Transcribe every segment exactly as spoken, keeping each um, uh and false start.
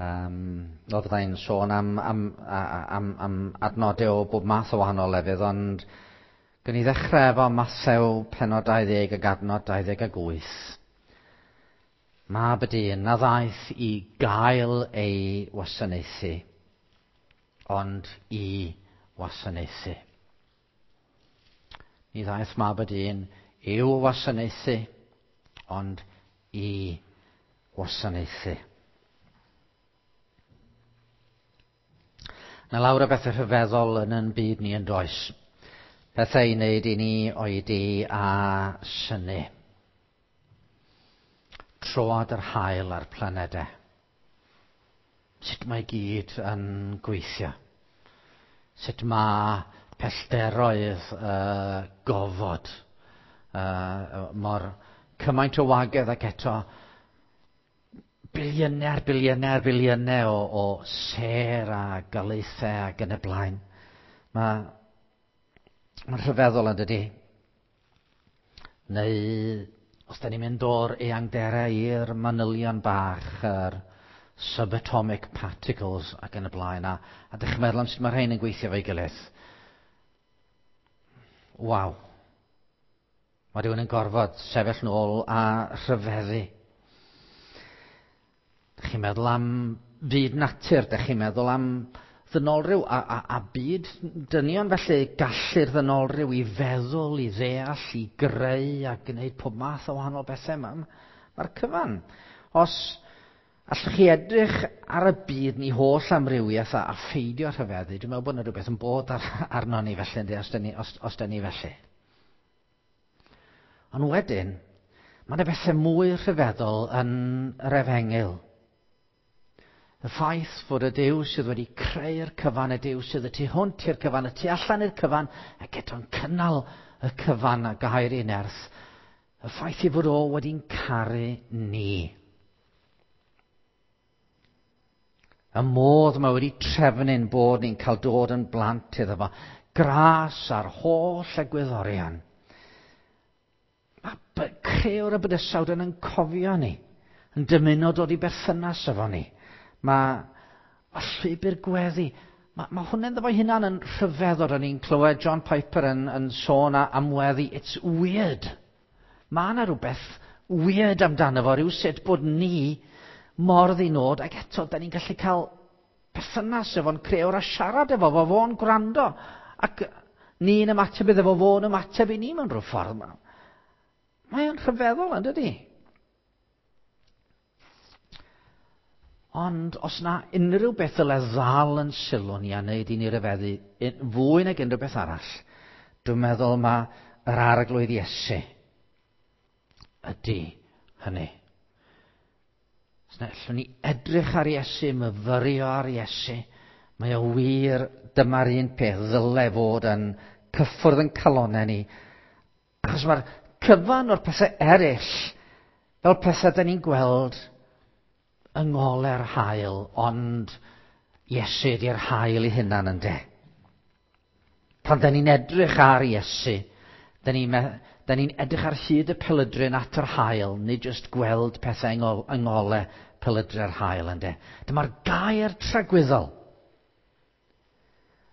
Um, o, fyddai'n sôn am, am, am, am adnodau o bob math o wahanol lefydd, ond gwn i ddechrau efo Mathew pennod dau ddeg ac adnod dau ddeg ag wyth. Mab y dyn na ddaeth i gael ei wasanaethu, ond i wasanaethu. Ni ddaeth mab y dyn i'w wasanaethu, ond i wasanaethu. Na lawr o bethau rhyfeddol yn yn byd ni yn does. Pethau i wneud i ni oedi a synnu. Troad yr haul a'r planedau. Sut mae gyd yn gweithio. Sut mae pellteroedd uh, gofod. Uh, mor cymaint o wagedd ac eto biliynau, biliynau, biliynau o, o sêr a galaethau ac yn y blaen. Mae, mae'n rhyfeddol yn dydi. Neu os da ni'n mynd o'r eangderau i'r manylion bach, yr subatomic particles ac yn y blaen, a, a dych chi'n meddwl am sut mae rhain yn gweithio fo'i gilydd. Waw. Mae rhywun yn gorfod sefyll nôl a rhyfeddu. Dych chi'n meddwl am fyd natur, dych chi'n meddwl am ddynolryw a, a, a byd dynion, felly gallu'r ddynolryw i feddwl, i ddeall, i greu a gwneud pob math o wahanol bethau. Mae'r ma cyfan. Os allwch chi edrych ar y byd ni holl amrywiaeth a, a pheidio rhyfeddu, dwi'n meddwl bod yna rhywbeth yn bod ar, arno ni felly, yndi, os dyn ni, os, os dyn ni felly. Ond wedyn, mae yna bethau mwy rhyfeddol yn yr efengyl. Y ffaith fod y Duw sydd wedi creu'r cyfan, y Duw sydd y tu hwnt i'r cyfan, y tu allan i'r cyfan, ac eto'n cynnal y cyfan a gair ei nerth, y ffaith i fod o wedi'n caru ni. Y modd mae wedi trefnu'n bod ni'n cael dod yn blant iddo fo, gras a'r holl egwyddorion. Mae crëwr y bydysawd yn yn cofio ni, yn dymuno dod i berthynas efo ni. Mae, mae llwybr gweddi, mae, mae hwnna'n ddo fo'i hunan yn rhyfeddod. O'n i'n clywed John Piper yn, yn sôn am weddi, it's weird. Mae yna rhywbeth weird amdano fo, rhyw sut bod ni mor ddinod, ac eto, da ni'n gallu cael perthynas efo'n crëwr a siarad efo fo, fo'n gwrando, ac ni'n ymateb iddo fo, fo'n ymateb i ni mewn rhyw ffordd. Mae o'n rhyfeddol, yn dydi? Ond os na unrhyw beth ddyle ddal yn sylw ni a wneud i ni ryfeddu fwy nag unrhyw beth arall, dwi'n meddwl mae yr Arglwydd Iesu ydy hynny. Os na allwn ni edrych ar Iesu, myfyrio ar Iesu, mae o wir dyma'r un peth ddyle fod yn cyffwrdd yn calonnau ni. Achos mae'r cyfan o'r pethau eraill, fel pethau da ni'n gweld yng ngole'r haul, ond Iesu ydy'r haul ei hunan ynde. Pan da ni'n edrych ar Iesu, da ni'n ni edrych ar hyd y pelydryn at yr haul, nid jyst gweld pethau yng ngole pelydre'r haul ynde. Dyma'r gair tragwyddol.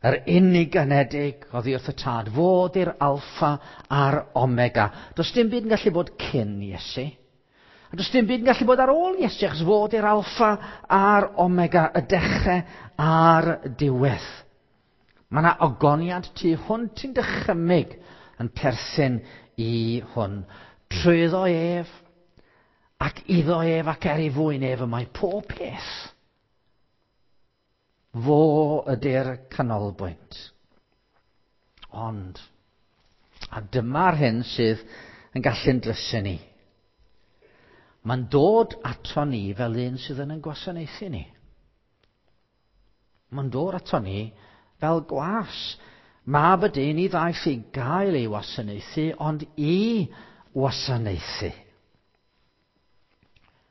Yr unig anedig oddi wrth y Tad, fod i'r alffa a'r omega. Does dim byd yn gallu bod cyn Iesu. A does dim byd yn gallu bod ar ôl Iesu, achos fod i'r alffa a'r omega, y dechrau a'r diwedd. Mae yna ogoniant tu hwnt i'n dychymyg yn perthyn i hwn. Trwyddo ef, ac iddo ef, ac er ei fwyn ef, y mae pob peth. Fo ydy'r canolbwynt. Ond, a dyma'r hyn sydd yn gallu'n drysu ni. Mae'n dod ato ni fel un sydd yn ein gwasanaethu ni. Mae'n dod ato ni fel gwas. Mab y dyn i ddaeth i gael ei wasanaethu, ond i wasanaethu.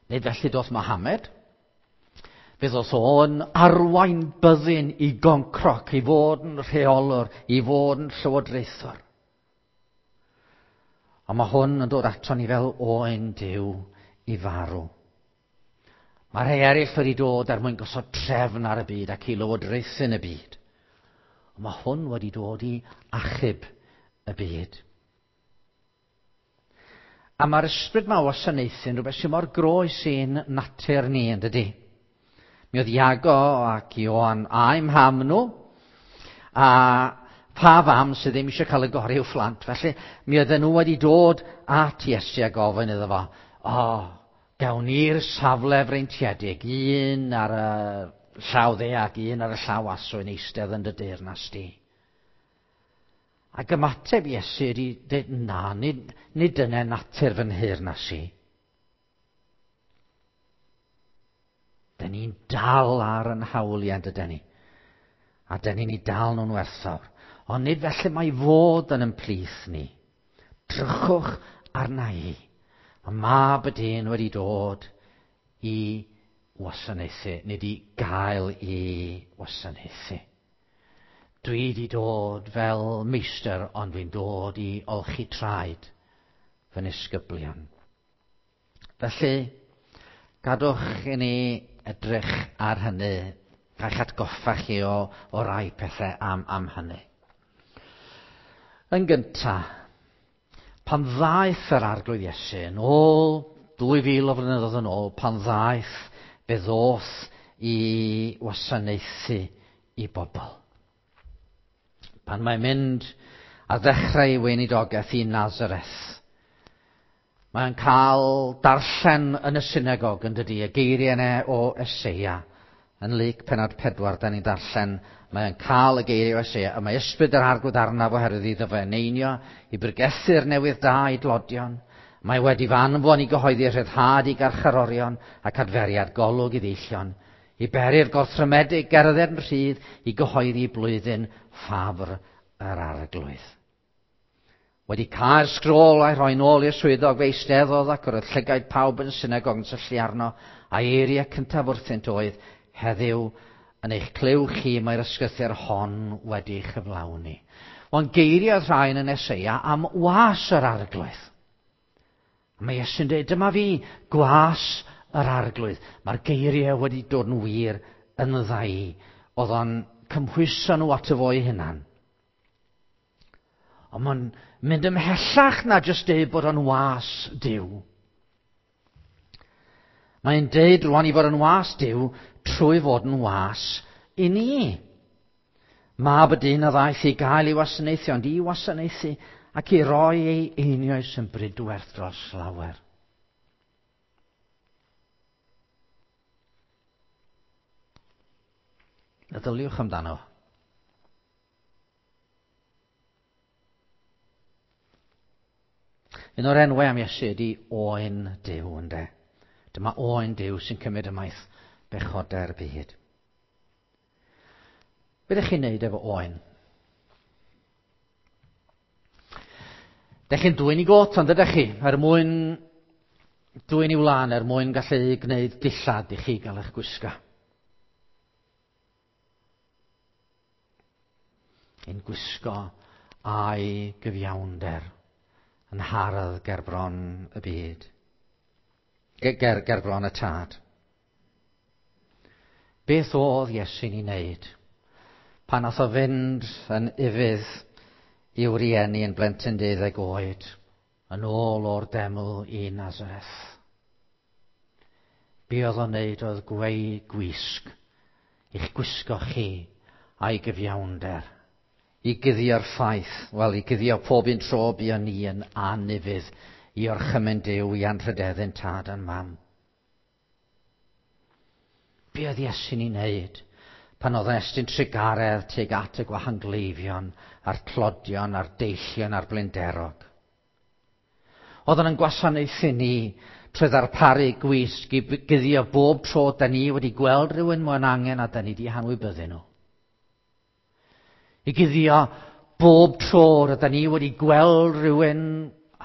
Nid felly doth Mohammed. Fe ddoth o'n arwain byddin i goncroc, i fod yn rheolwr, i fod yn llywodraethwr. A mae hwn yn dod ato ni fel oen Duw i farw. Mae rhai eraill wedi dod er mwyn gosod trefn ar y byd ac i lywodraethu yn y byd. Ond mae hwn wedi dod i achub y byd. A mae'r ysbryd yma o wasanaethu yn rhywbeth sy'n mor groes i'n natur ni, yn dydi? Mi oedd Iago ac Ioan a'u mham nhw, a pa fam sydd ddim eisiau cael y gorau i'w phlant. Felly, mi oedden nhw wedi dod at Iesu a gofyn iddo fo, o, oh, gawn ni'r safle freintiedig, un ar y llaw dde ac un ar y llaw aswy'n eistedd yn dy deyrnas di. Ac ymateb Iesu ydi dweud, na, nid, nid dyna natur fy nheyrnas i. Dyn ni'n dal ar yn hawliau, dydyn ni. A dyn ni'n ei dal nhw'n werthfawr. Ond nid felly mae fod yn ymplith ni. Drychwch arna i. Mae Mab y Dyn wedi dod i wasanaethu, nid i gael i wasanaethu. Dwi wedi dod fel meistr, ond dwi'n dod i olchi traed fy nisgyblion. Felly, gadwch i ni edrych ar hynny, gall'ch atgoffa chi o, o rai pethau am, am hynny. Yn gyntaf, pan ddaeth yr Arglwydd Iesu yn ôl, dwy fil o flynyddoedd yn ôl, pan ddaeth, fe ddoth i wasanaethu i bobl. Pan mae'n mynd ar ddechrau ei weinidogaeth i Nazareth, mae'n cael darllen yn y synagog yn dydi, y geiriau yna o Eseia. Yn Luc pennod pedwar, da ni'n darllen, mae'n cael y geiriau o Eseia, a mae ysbryd yr Arglwydd arnaf oherwydd iddo fe eneinio i bregethu'r newydd da i dlodion. Mae wedi fy anfon i gyhoeddi rhyddhad i garcharorion ac adferiad golwg i ddeillion, i beri'r gorthrymedig gerdded yn rhydd, i gyhoeddi blwyddyn ffafr yr Arglwydd. Wedi cael sgrôl a'i rhoi nôl i'r swyddog, fe eisteddodd ac yr oedd llygaid pawb yn y synagog yn syllu arno, a'i eiriau cyntaf wrthynt oedd, heddiw yn eich clyw chi mae'r ysgrythur hon wedi chyflawni. Ond geiriau oedd rhain yn Eseia am was yr Arglwydd. Mae Iesu'n dweud, dyma fi, gwas yr Arglwydd. Mae'r geiriau wedi dod yn wir yn ddau. Oedd o'n cymhwyso nhw ato fo'i hunan. Ond mae'n mynd ymhellach na jyst deud bod o'n was Duw. Mae'n deud rwan i fod yn was Duw trwy fod yn was i ni. Mab y dyn a ddaeth i gael ei wasanaethu, ond i wasanaethu ac i roi ei einioes yn brydwerth dros lawer. Meddyliwch amdano. Un o'r enwau am Iesu ydy Oen Duw, ynde. Dyma Oen Duw sy'n cymryd ymaith bechodau'r byd. Be ydych chi'n neud efo oen? Dych chi'n dwyn i got, ond ydych chi, er mwyn dwyn i wlân, er mwyn gallu gwneud dillad i chi gael eich gwisgo. Ein gwisgo a'i gyfiawnder yn hardd gerbron y byd, ger, gerbron y tad. Beth oedd Iesu'n ei wneud pan nath o fynd yn ufudd i'w rieni yn blentyn deuddeg oed, yn ôl o'r deml i Nazareth? Be oedd o'n wneud oedd gweu gwisg i'ch gwisgo chi a'i gyfiawnder, i guddio'r ffaith, wel, i guddio pob un tro buon ni yn anufudd i orchymyn Duw i anrhydeddyn tad a'n mam. Be oedd Iesu'n ei wneud pan oedd yn estyn trugaredd tuag at y gwahangleifion, a'r tlodion, a'r deillion, a'r blinderog? Oedd yn gwasanaethu ni trwy ddarparu gwisg i guddio bob tro da ni wedi gweld rhywun mewn angen a da ni wedi hanwybyddu nhw. I guddio bob tro rydyn ni wedi gweld rhywun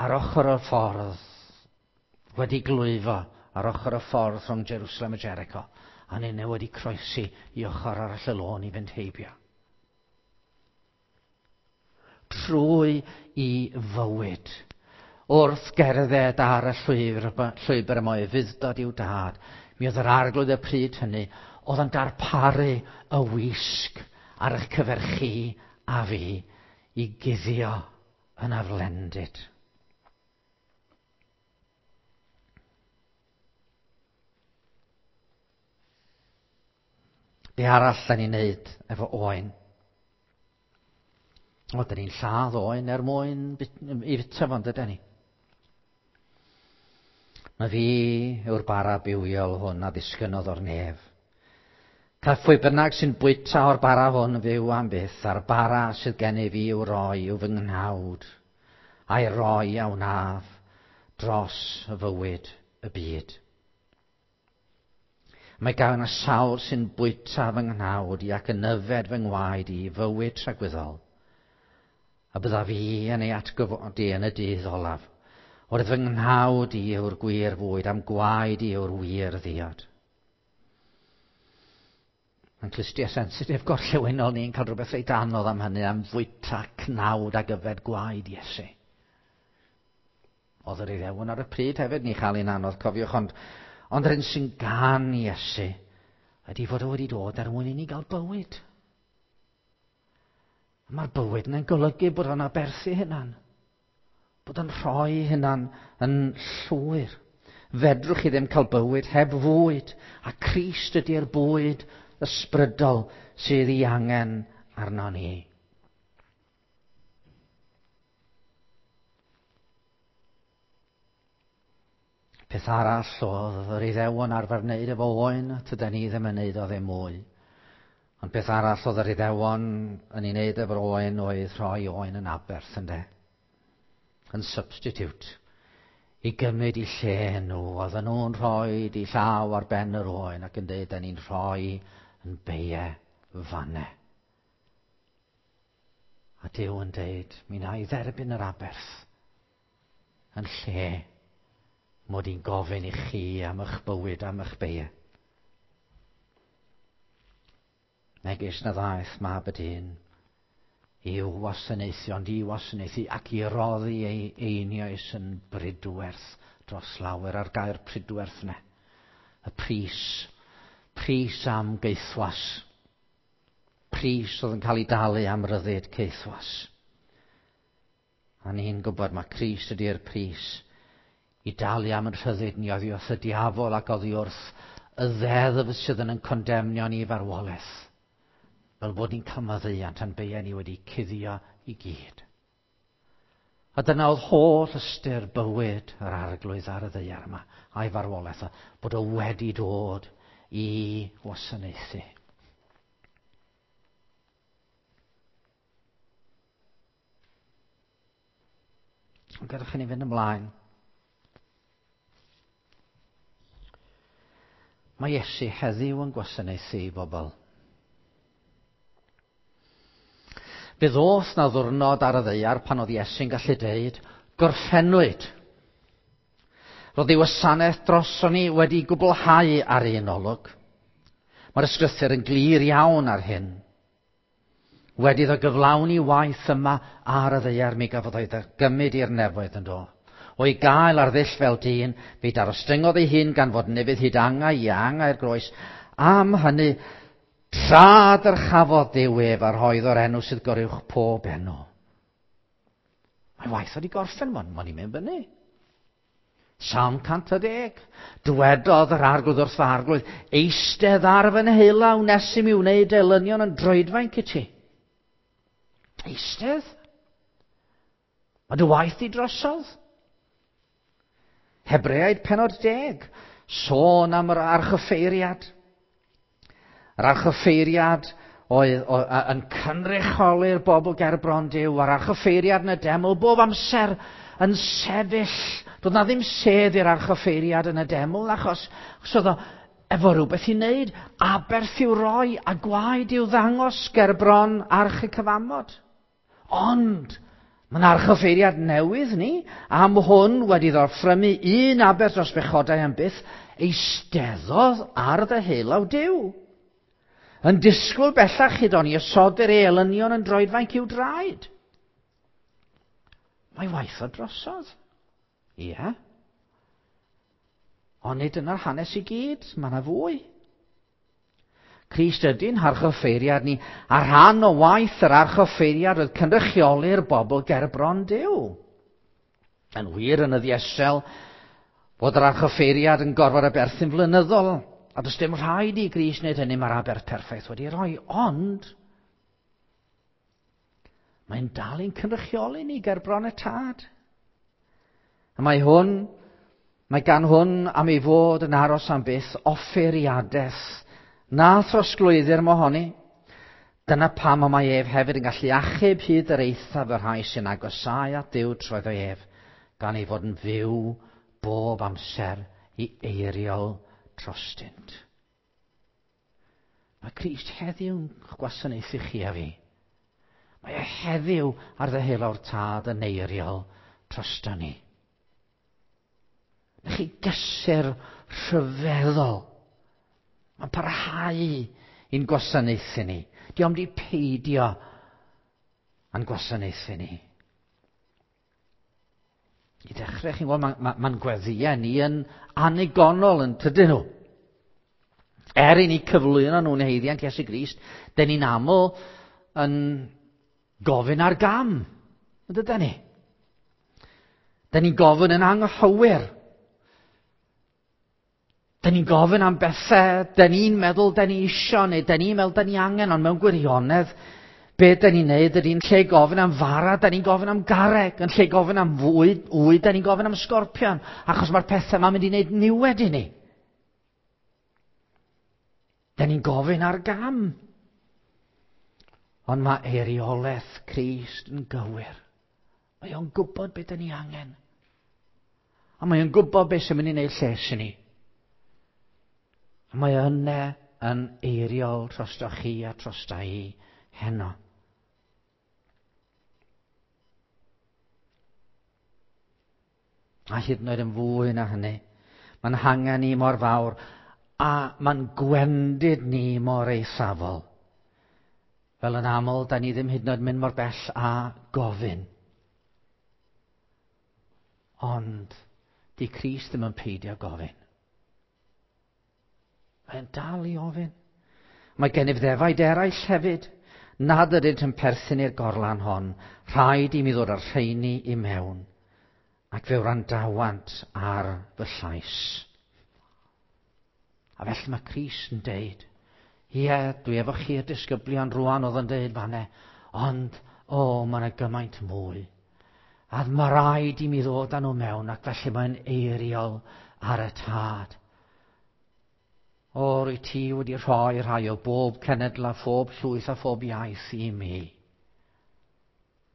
ar ochr y ffordd, wedi glwyfo ar ochr y ffordd rhwng Jerusalem a Jericho, a ninne wedi croesi i ochr arall y lôn i fynd heibio. Trwy i fywyd, wrth gerdded ar y llwybr, llwybr yma o ufudd-dod i'w dad, Mi oedd yr Arglwydd y pryd hynny oedd yn darparu y wisg ar eich cyfer chi a fi i guddio yn aflendid. Be arall da ni'n neud efo oen? O, da ni'n lladd oen er mwyn i fita fo, yndydan ni? Na fi yw'r bara bywiol hwn a ddisgynnodd o'r nef. Cael phwy bynnag sy'n bwyta o'r bara hwn fyw am byth, a'r bara sydd gennyf fi i'w roi yw fy nghnawd, a'i roi a wnaf dros y fywyd y byd. Mae gan y sawl sy'n bwyta fy nghnawd i ac yn yfed fy ngwaed i fywyd tragwyddol, a byddaf fi yn ei atgyfodi yn y dydd olaf. Oherwydd fy nghnawd i yw'r gwir fwyd, am gwaed i yw'r wir ddiod. Mae'n clustia sensitif gorllewinol ni'n cael rhywbeth reit anodd am hynny, am fwyta cnawd ac yfed gwaed Iesu. Oedd yr Iddewon ar y pryd hefyd ni chael un anodd, cofiwch, ond, ond yr un sy'n gan Iesu ydy fod o wedi dod er mwyn i ni gael bywyd. Mae'r bywyd yna'n golygu bod o'n aberthu hunan, bod o'n rhoi hunan yn llwyr. Fedrwch chi ddim cael bywyd heb fwyd, a Crist ydy'r bwyd ysbrydol sydd ei angen arno ni. Peth arall oedd yr Iddewon arfer wneud efo oen, tydan ni ddim yn wneud o ddim mwy. Ond peth arall oedd yr Iddewon yn ei wneud efo'r oen oedd rhoi oen yn aberth, ynde? Yn substitute. I gymryd i lle nhw. Oedden nhw'n rhoi i llaw ar ben yr oen ac yn dweud, da ni'n rhoi yn beie fanne. A Duw yn dweud, mi na i dderbyn yr aberth yn lle mod i'n gofyn i chi am eich bywyd, am eich beie. Megis na ddaeth mab y dyn i'w wasanaethu, ond i wasanaethu ac i roddi ei einioes yn bridwerth dros lawer, a'r gair pridwerth yna. Y pris, pris am geithwas. Pris oedd yn cael ei dalu am ryddid caethwas. A ni'n gwybod mae Crist ydy'r pris i dalu am yn rhyddid ni oddi wrth y diafol ac oddi wrth y ddeddf sydd yn condemnio ni i farwolaeth. Fel bod ni'n cael maddeuant a'n beiau ni wedi cuddio i gyd. A dyna oedd holl ystyr bywyd yr Arglwydd ar y ddaear yma, a'i farwolaeth, bod o wedi dod i wasanaethu. Ond gadewch i ni fynd ymlaen. Mae Iesu heddiw yn gwasanaethu i bobl. Fe ddoth na ddwrnod ar y ddaear pan oedd Iesu'n gallu deud, gorffennwyd. Roedd ei wasanaeth droson ni wedi gwblhau ar un olwg. Mae'r ysgrythur yn glir iawn ar hyn. Wedi iddo gyflawni waith yma ar y ddaear, mi gafodd ei gymryd i'r nefoedd yn do. O'i gael ar ddull fel dyn, fe darostyngodd ei hun gan fod nefydd hyd angau i angau'r groes. Am hynny, tra dyrchafodd Duw ef a rhoedd o'r enw sydd goruwch pob enw. Mae waith wedi gorffen, mae'n i'n mynd fyny. Salm cant a deg. Dywedodd yr Arglwydd wrth fy Arglwydd, eistedd ar fy nheulaw nes i mi wneud elynion yn droedfainc i ti. Eistedd? Mae dy waith di drosodd. Hebreaid penod deg. Sôn am yr archoffeiriad. Yr archoffeiriad oedd, oedd yn cynrychioli'r bobl ger bron Duw, a'r archoffeiriad yn y deml bob amser yn sefyll. Doedd na ddim sedd i'r archoffeiriad yn y deml, achos, achos oedd o efo rhywbeth i wneud, aberth i'w roi a gwaed i'w ddangos ger bron arch y cyfamod. Ond mae'n archoffeiriad newydd ni, am hwn wedi ddorffrymu un aberth dros bechodau am byth, eisteddodd ar ddeheulaw Duw. Yn disgwyl bellach hyd o'n i osodir ei elynion yn droedfainc i'w draed. Mae waith o drosodd. Ie. Ond nid dyna'r hanes i gyd, mae yna fwy. Crist ydy'n harchoffeiriad ni, a rhan o waith yr archoffeiriad oedd cynrychioli'r bobl gerbron Duw. Yn wir yn y ddiesel, fod yr archoffeiriad yn gorfod aberthu'n flynyddol, a does dim rhaid i Grist wneud hynny, mae'r aberth perffaith wedi rhoi, ond mae'n dal i'n cynrychioli ni gerbron y Tad. A mae hwn, mae gan hwn am ei fod yn aros am byth offeiriadaeth na throsglwyddir mohoni. Dyna pam y mae ef hefyd yn gallu achub hyd yr eithaf y rhai sy'n agosáu at Dduw trwyddo ef, gan ei fod yn fyw bob amser i eiriol drostynt. Mae Crist heddiw'n gwasanaethu chi a fi. Mae e heddiw ar ddeheulaw'r Tad yn eiriol drosto ni. Na chi gysur rhyfeddol. Mae'n parhau i'n gwasanaethu ni. Di o'm di peidio â'n gwasanaethu ni. I ddechrau, chi'n gweld, mae'n ma, ma gweddïau ni yn annigonol yn tydyn nhw. Er i ni cyflwyno nhw'n haeddiant Iesu Grist, dyn ni'n aml yn gofyn ar gam, yn dydyn ni? Dyn ni'n gofyn yn anghywir. Dyn ni'n gofyn am bethau, dyn ni'n meddwl dyn ni isio, neu dyn ni'n meddwl dyn ni angen, ond mewn gwirionedd, be dyn ni'n neud ydy'n lle gofyn am fara, dyn ni'n gofyn am garreg, yn lle gofyn am fwyd, wyd, dyn ni'n gofyn am sgorpion, achos mae'r pethau yma'n mynd i wneud niwed i ni. Dyn ni'n gofyn ar gam. Ond mae eiriolaeth Crist yn gywir. Mae o'n gwybod beth dyn ni angen. A mae o'n gwybod beth sy'n mynd i wneud lles i ni. A mae yna yn eiriol drosto chi a drosta i heno. A hyd yn oed yn fwy na hynny, mae'n hangen ni mor fawr a mae'n gwendid ni mor eithafol. Fel yn aml, da ni ddim hyd yn oed mynd mor bell a gofyn. Ond di Crist ddim yn peidio gofyn. Mae'n dal i ofyn. Mae gennyf ddefaid eraill hefyd, nad ydynt yn perthyn i'r gorlan hon. Rhaid i mi ddod â'r rheini i mewn, ac fe wrandawant ar fy llais. A felly mae Crist yn deud, ie, dwi efo chi'r disgyblion rwan oedd yn deud fanne, ond, o, mae yna gymaint mwy. A mae rhaid i mi ddod â nhw mewn, ac felly mae'n eiriol ar y Tad. O, rwy ti wedi rhoi rhai o bob cenedl a phob llwyth a phob iaith i mi.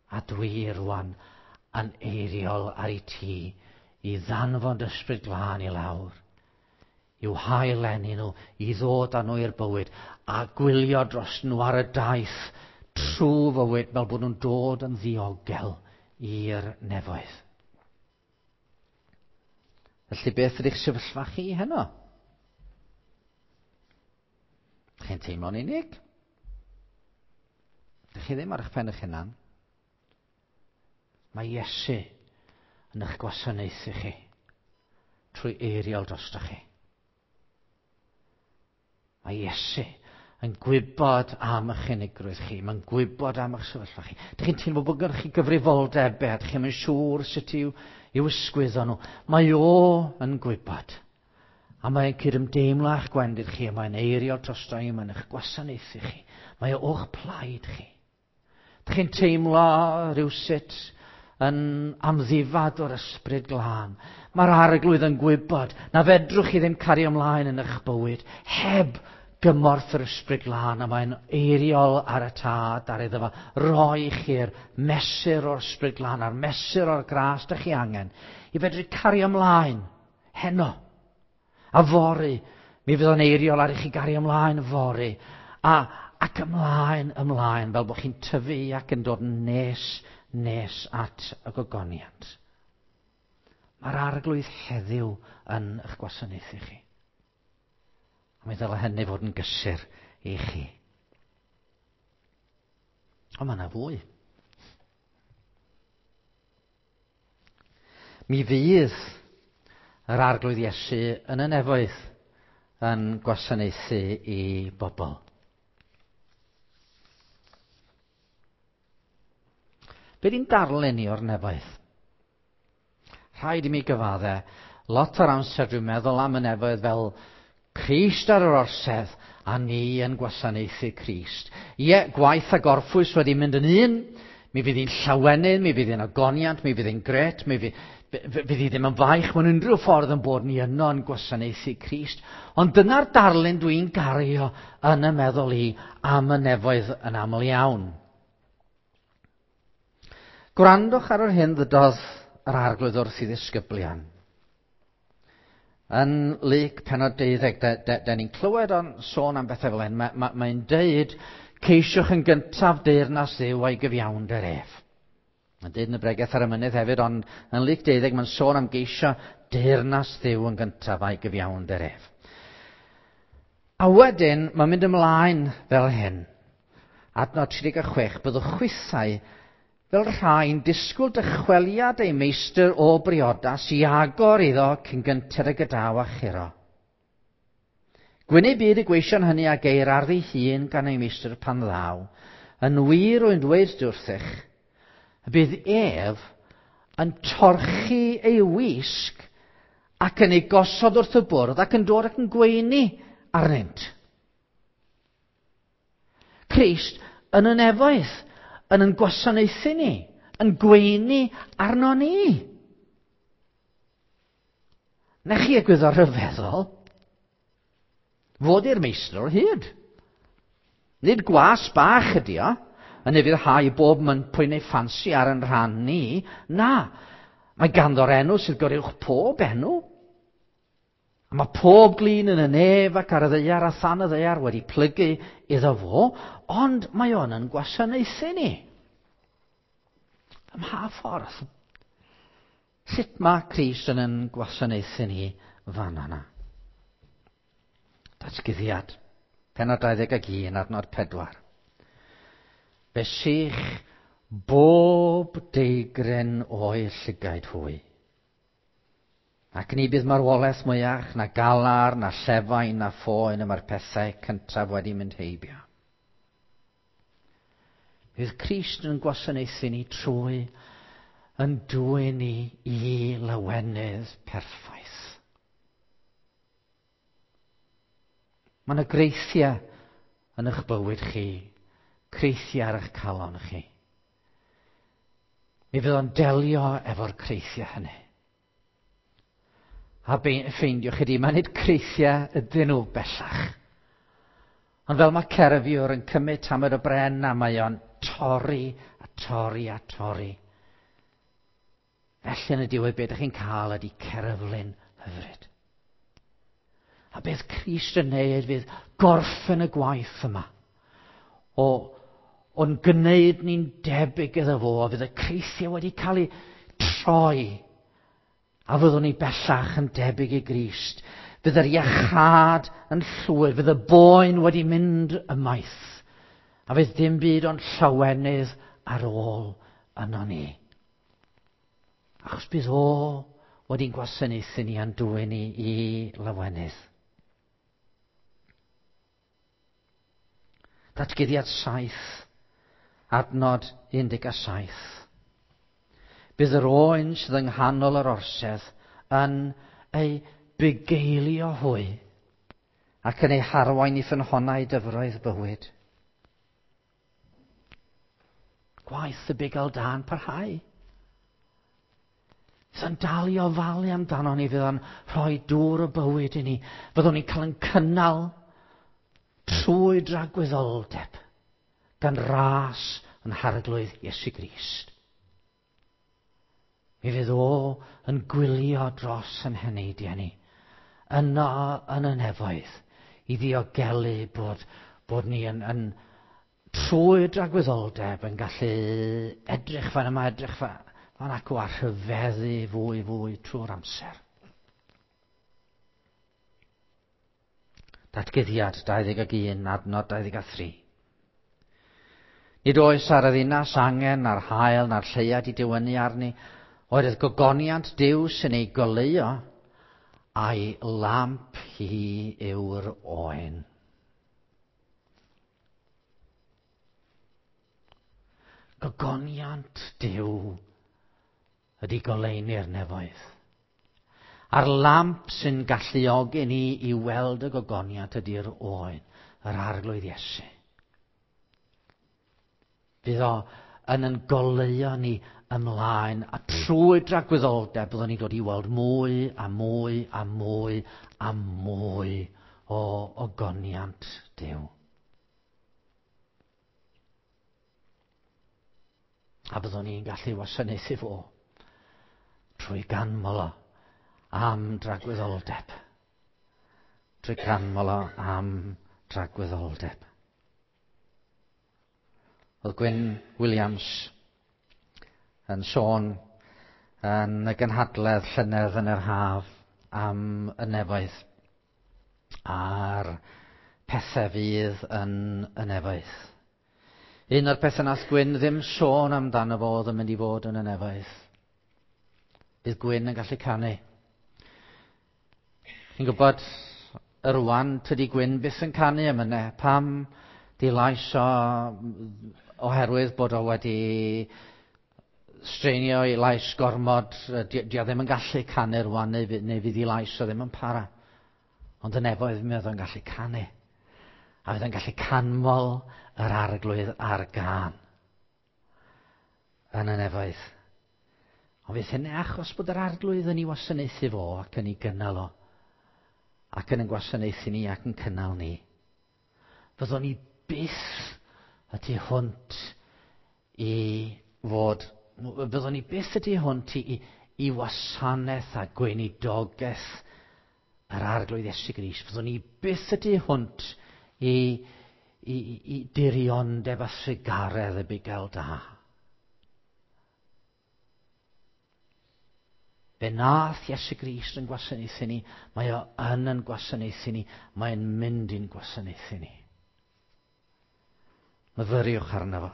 A dwi rwan yn eiriol ar i ti i ddanfon dy Ysbryd Glân i lawr, i'w hail-eni nhw, i ddod â nhw i'r bywyd, a gwylio dros nhw ar y daith trwy fywyd fel bod nhw'n dod yn ddiogel i'r nefoedd. Felly beth ydych sefyllfa chi heno? Chi'n teimlo'n unig? Dych chi ddim ar eich pen eich hunan? Mae Iesu yn eich gwasanaethu chi trwy eiriol drostoch chi. Mae Iesu yn gwybod am eich unigrwydd chi, mae'n gwybod am eich sefyllfa chi. Dych chi'n teimlo bod gennych chi gyfrifoldebau, dych chi'n siŵr sut i'w, i'w ysgwyddo nhw. Mae o yn gwybod. A mae'n cydymdeimlo â'ch gwendid chi, a mae'n eiriol drosto i, mae'n eich gwasanaethu chi. Mae o o'ch plaid chi. Dych chi'n teimlo rhywsut yn amddifad o'r Ysbryd Glân. Mae'r Arglwydd yn gwybod na fedrwch chi ddim cario ymlaen yn eich bywyd heb gymorth yr Ysbryd Glân, a mae'n eiriol ar y Tad ar iddo fo roi chi'r mesur o'r Ysbryd Glân a'r mesur o'r gras dych chi angen i fedru cario ymlaen heno. A fory, mi fydd o'n eiriol ar i chi gario ymlaen fory, a, ac ymlaen, ymlaen, fel bod chi'n tyfu ac yn dod yn nes, nes at y gogoniant. Mae'r Arglwydd heddiw yn eich gwasanaethu chi. A mi ddylai hynny fod yn gysur i chi. Ond mae yna fwy. Mi fydd yr Arglwydd Iesu yn y nefoedd yn gwasanaethu i bobl. Be di'n darlun i o'r nefoedd? Rhaid i mi gyfadde, lot o'r amser dwi'n meddwl am y nefoedd fel Crist ar yr orsedd a ni yn gwasanaethu Crist. Ie, gwaith a gorffwys wedi mynd yn un, mi fydd hi'n llawenydd, mi fydd hi'n ogoniant, mi fydd hi'n gret, mi fydd, fydd hi ddim yn faich mewn unrhyw ffordd yn bod ni yno yn gwasanaethu Crist. Ond dyna'r darlun dwi'n gario yn y meddwl i am y nefoedd yn aml iawn. Gwrandwch ar yr hyn ddydodd yr Arglwydd wrth i ddisgyblion. Yn Luc pennod deuddeg, da, da, da ni'n clywed o'n sôn am bethau fel hyn, mae'n ma, ma deud, ceisiwch yn gyntaf deyrnas Dduw a'i gyfiawnder ef. Mae'n deud yn y bregeth ar y mynydd hefyd, ond yn Luc deuddeg mae'n sôn am geisio deyrnas Dduw yn gyntaf a'i gyfiawnder ef. A wedyn, mae'n mynd ymlaen fel hyn. Adnod tri deg chwech, byddwch chwithau fel rhai'n disgwyl dychweliad ei meistr o briodas i agor iddo cyn gynted ag y daw a churo. Gwyn ei byd y gweision hynny a geir ar ei hun gan ei meistr pan ddaw. Yn wir rwy'n dweud wrthych, y bydd ef yn torchi ei wisg ac yn ei gosod wrth y bwrdd ac yn dod ac yn gweini arnynt. Crist yn y nefoedd, yn yn gwasanaethu ni, yn gweini arno ni. Na chi egwyddor rhyfeddol? Fod i'r meistr o hyd. Nid gwas bach ydi o, yn ufuddhau bob pwy neu ffansi ar yn rhan ni. Na, mae ganddo'r enw sydd goruwch pob enw. A mae pob glin yn y nef ac ar y ddaear a than y ddaear wedi plygu iddo fo, ond mae o'n yn gwasanaethu ni. Ym mha ffordd? Sut mae Crist yn yn gwasanaethu ni fan yna? Datguddiad, pennod dau ddeg ac un, adnod pedwar. Fe sych bob deigryn o'i llygaid hwy. Ac ni bydd marwolaeth mwyach, na galar, na llefain, na phoen, y mae'r pethau cyntaf wedi mynd heibio. Bydd Crist yn gwasanaethu ni trwy yn dwyn ni i lawenydd perffaith. Mae yna greithiau yn eich bywyd chi, creithiau ar eich calon chi. Mi fydd o'n delio efo'r creithiau hynny. A ffeindiwch chi di, mae nid creithiau ydyn nhw bellach. Ond fel mae cerfiwr yn cymryd tamed o bren a mae o'n torri a torri a torri. Felly yn y diwedd beth ydych chi'n cael ydy cerflun hyfryd. A beth Crist yn neud fydd gorffen y gwaith yma. O, o'n gwneud ni'n debyg iddo fo, a fydd y creithiau wedi cael eu troi. A fyddwn ni bellach yn debyg i Grist. Fydd yr iachâd yn llwyr, fydd y boen wedi mynd ymaith. A fydd dim byd ond llawenydd ar ôl yno ni. Achos bydd o wedi'n gwasanaethu ni a'n dwyn ni i lawenydd. Datguddiad saith, adnod un deg saith. Bydd yr oen sydd yng nghanol yr orsedd yn ei bugeilio hwy ac yn ei harwain i ffynhonnau dyfroedd bywyd. Gwaith y bugail da'n parhau. Fydd o'n dal i ofalu amdano ni, fydd o'n rhoi dŵr o bywyd i ni. Fyddwn ni'n cael yn cynnal trwy dragwyddoldeb gan ras yn Harglwydd Iesu Grist. Mi fydd o yn gwylio dros yn heneidiau ni, yno yn y nefoedd, i ddiogelu bod, bod ni yn, yn trwy dragwyddoldeb yn gallu edrych fan yma, edrych fan, fan acw a rhyfeddu fwy fwy trwy'r amser. Datguddiad dau ddeg ac un, adnod dau ddeg a thri. Nid oes ar y ddinas angen na'r haul na'r lleuad i dywynnu arni, oherwydd gogoniant Duw sy'n ei goleuo, A'i lamp hi yw'r oen. Gogoniant Duw ydy goleuni'r nefoedd. A'r lamp sy'n galluogi ni i weld y gogoniant ydy'r oen, yr Arglwydd Iesu. Fydd o yn yn goleuo ni ymlaen, a trwy dragwyddoldeb byddwn ni'n dod i weld mwy a mwy a mwy a mwy o ogoniant Duw. A byddwn ni'n gallu wasanaethu fo trwy ganmol o am dragwyddoldeb. Trwy ganmol o am dragwyddoldeb. Oedd Gwyn Williams yn sôn yn y gynhadledd llynedd yn yr haf am y nefoedd a'r pethau fydd yn y nefoedd. Un o'r pethau nath Gwyn ddim sôn amdano fo oedd yn mynd i fod yn y nefoedd. Bydd Gwyn yn gallu canu. Chi'n gwybod, rwan, tydi Gwyn byth yn canu am yna. Pam di lais o oherwydd bod o wedi streinio ei lais gormod, di, di o ddim yn gallu canu rwan, neu, neu fydd ei lais o ddim yn para. Ond y nefoedd mi oedd o'n gallu canu. A fydd o'n gallu canmol yr Arglwydd a'r gân yn y nefoedd. Ond fydd hynny achos bod yr Arglwydd yn ei wasanaethu fo ac yn ei gynnal o. Ac yn ein gwasanaethu ni ac yn cynnal ni. Fyddwn ni byth y tu hwnt i fod, fyddwn ni byth y tu hwnt i, i, i wasanaeth a gweinidogaeth yr Arglwydd Iesu Grist. Fyddwn ni byth y tu hwnt i, i, i diriondeb a thrugaredd y bugail da. Fe nath Iesu Grist yn gwasanaethu ni, mae o yn yn gwasanaethu ni, mae'n mynd i'n gwasanaethu ni. Myfyriwch arno fo,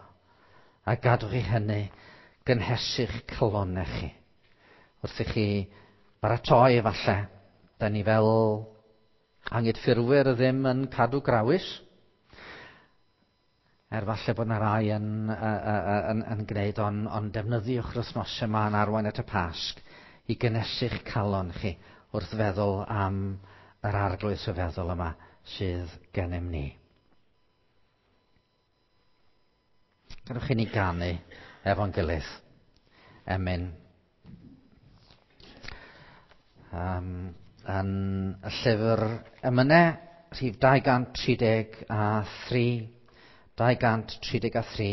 a gadwch i hynny gynhesu'ch calonnau chi. Wrth i chi baratoi efallai, da ni fel angydffurfwyr ddim yn cadw grawys, er falle bod yna rai yn, yn, yn, yn gwneud, ond on defnyddiwch yr wythnosau yma yn arwain at y Pasg i gynhesu'ch calon chi wrth feddwl am yr Arglwydd rhyfeddol yma sydd gennym ni. Gadewch i ni ganu efo'n gilydd. Emyn. Um, yn y llyfr emynau, rhif dau gant tri deg a thri, dau gant tri deg a thri.